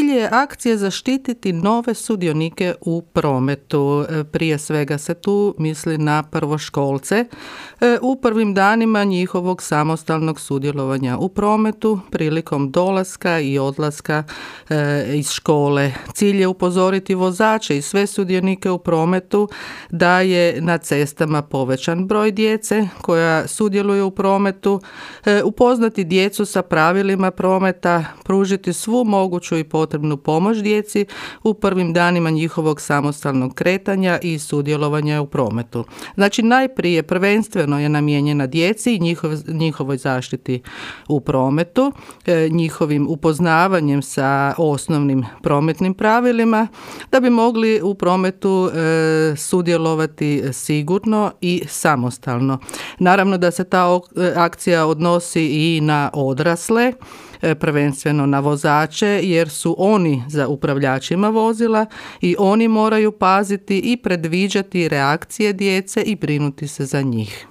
Cilj je akcije zaštititi nove sudionike u prometu. Prije svega se tu misli na prvoškolce u prvim danima njihovog samostalnog sudjelovanja u prometu prilikom dolaska i odlaska iz škole. Cilj je upozoriti vozače i sve sudionike u prometu da je na cestama povećan broj djece koja sudjeluje u prometu, upoznati djecu sa pravilima prometa, pružiti svu moguću i potrebnu pomoć djeci u prvim danima njihovog samostalnog kretanja i sudjelovanja u prometu. Znači, najprije prvenstveno je namijenjena djeci i njihovoj zaštiti u prometu, njihovim upoznavanjem sa osnovnim prometnim pravilima, da bi mogli u prometu sudjelovati sigurno i samostalno. Naravno da se ta akcija odnosi i na odrasle, prvenstveno na vozače, jer su oni za upravljačima vozila i oni moraju paziti i predviđati reakcije djece i brinuti se za njih.